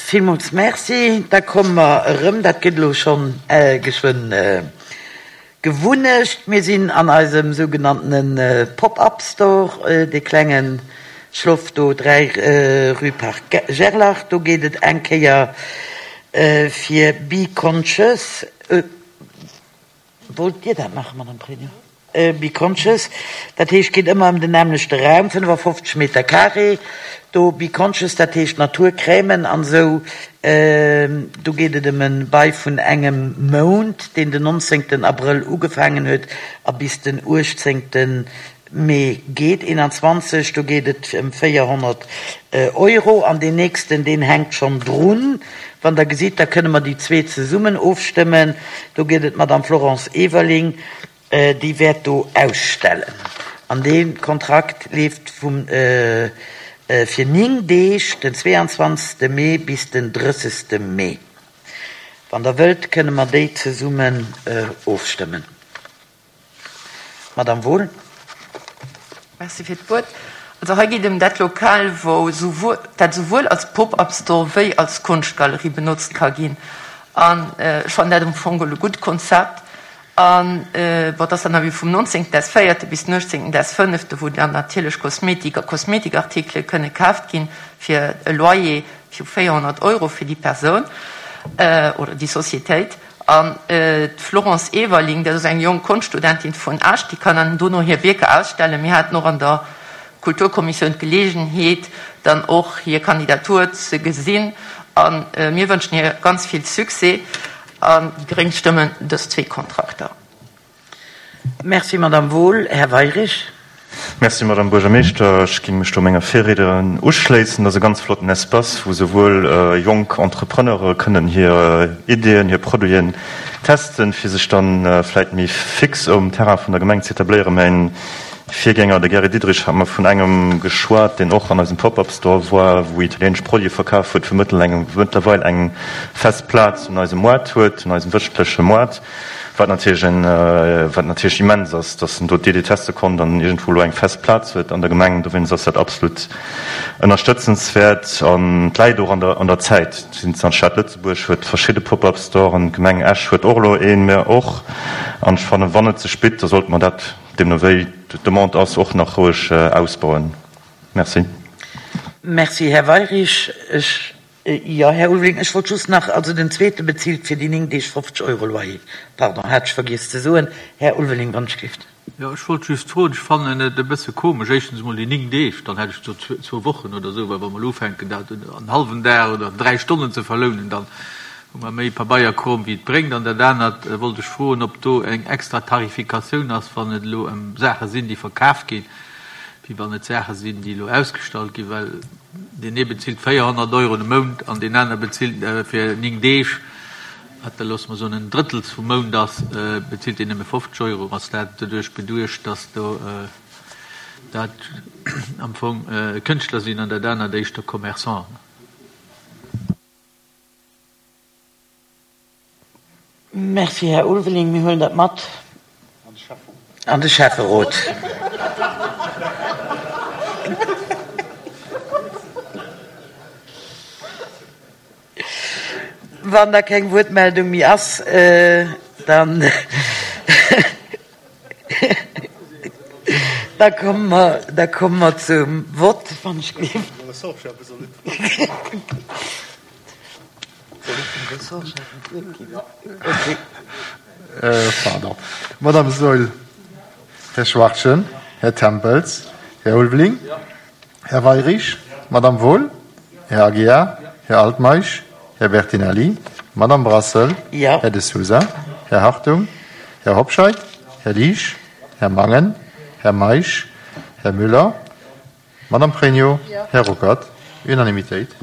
Villmools Merci. Da komme mer erëm, dat gëtt elo schonn geschwënn Gewunnecht. Mir sinn an eisem sougenanntene Pop-up Store, dee klenge Schloff do 3 rue Parc Gerlach. Do geet et eng Kéier fir Be Conscious. Wollt Dir dat maachen, Madame Pregno? Be Conscious, dat heescht, geet ëmmer ëm den nämmlechte Raum, 55 Meter carré do. Be Conscious, dat heescht Naturcrèmen an esou. Do geet et ëm e Bail vun engem Mount, deen den 19 Abrëll ugefaangen huet a bis den 18 Mee geet. 21, do geet et ëm 400 Euro. An deen nächsten, deen hänkt schonn drun. Wann Der gesitt, da kënne mer déi zwee zesummen ofstëmmen. Do geet et d'Madame Florence Everling. Déi wäert do ausstellen. An dee Kontrakt leeft vum fir 9 Deeg, den 22. Mee bis den 30. Mee. Wann Der wëllt, kënne mer déi zesummen ofstëmmen. Madamm Wohl. Merci fir d'Wuert. Also hei geet ëm dat Lokal, wou souwuel, dat souwuel als Pop-up-Store wéi als Konschtgalerie benotzt ka ginn. An ech fannen dat am Fong geholl e gutt Konzept. An bon, et ass dann awer vum 19. des véierte bis den 18. des fënnefte, wou dann natierlech Kosmetik a Kosmetikartikele kënne kaaft ginn fir e Loyer vu 400 Euro fir déi Persoun oder déi Societéit. An d'Florence Everling, dat ass eng jonk Konschtstudentin vun Esch, déi kann dann dono hir Wierker ausstellen. Mir haten och an der Kulturkommissioun d'Geleegenheet, dann och hir Kandidatur ze gesinn a mir wënschen hir ganz vill Succès. An déi Gréng stëmmen dës zwee Kontrakter. Merci, Madamm Wohl. Här Weirich. Merci, Madamm Buergermeeschter. Ech géing mech do menger Virriednerin uschléissen. Dat ass e ganz flotten Espace, wou souwuel jonk Entrepreneure kënnen hir Ideeën, hir Produiten testen, fir sech dann vläicht méi fix um Terrain vun der Gemeng ze etabléieren. Mäin Virgänger, de Gary Diderich, hat mer vun engem geschwat, deen och an eisem Pop-up Store war, wou italienesch Produite verkaf huet, wou mëttlerweil eng fest Plaz un eisem Moart huet, un eisem wëchentleche Moart, wat natierlech en, wat natierlech immens ass, dass en do d'Idee teste konnt an iergendwou elo eng fest Plaz huet an der Gemeng. Dowéinst ass dat absolut ënnerstëtzenswäert an et läit och an der, an der Zäit. D'Stad Lëtzebuerg huet verschidde Pop-up Storen, d'Gemeng Esch huet och elo een, mir och. An ech fannen, wann et sech bitt, da sollte mer dat, deemno wéi d'Demande ass, och nach roueg ausbauen. Merci. Merci, Här Weirich. Ech, jo, Här Ulveling, ech wollt just nach, also den zweete bezilt fir déi 9 Deeg 50 Euro Loyer. Pardon, hat ech vergiess ze soen. Här Ulveling, wann ech géif. Jo, ech wollt just froen, ech fannen et e bësse komesch, éischtens emol déi 9 Deeg, dann hätt ech gesot zwou Wochen oder esou, well wa mer elo ufänken dat en hallwen Dag oder dräi Stonnen ze verlounen, dann hu mer méi Pabeierkrom wéi et bréngt. An dat anert wollt ech froen, ob do eng extra Tarifikatioun ass, wann et elo ëm Saache sinn, déi verkaf ginn, wéi wann et Saache sinn, déi elo ausgestallt ginn, well deen ee bezilt 400 Euro de Mount an deen aner bezilt fir 9 Deeg, wat da loosse mer soen en Drëttels vum Mount ass, bezilt deen nëmme 50 Euro. Ass dat doduerch beduecht, dass do dat am Fong Kënschtler sinn an dat anert éischter Commerçanten? Merci, Här Ulveling. Mir huelen dat mat an de Schäfferot. Wann da keng Wuertmeldung méi ass, dann da komme mer, da komme mer zum Vott, wann ech géif. Pardon. Madame Saeul, Här Schwachtgen, Här Tempels, Här Ulveling, Här Weirich, Madame Wohl, Här Aguiar, Här Altmeisch, Här Bertinelli, Madame Brassel, Här De Sousa, Här Hartung, Här Hobscheit, Här Liesch, Här Mangen, Här Meisch, Här Müller, Madame Pregno, Här Ruckert. Unanimitéit.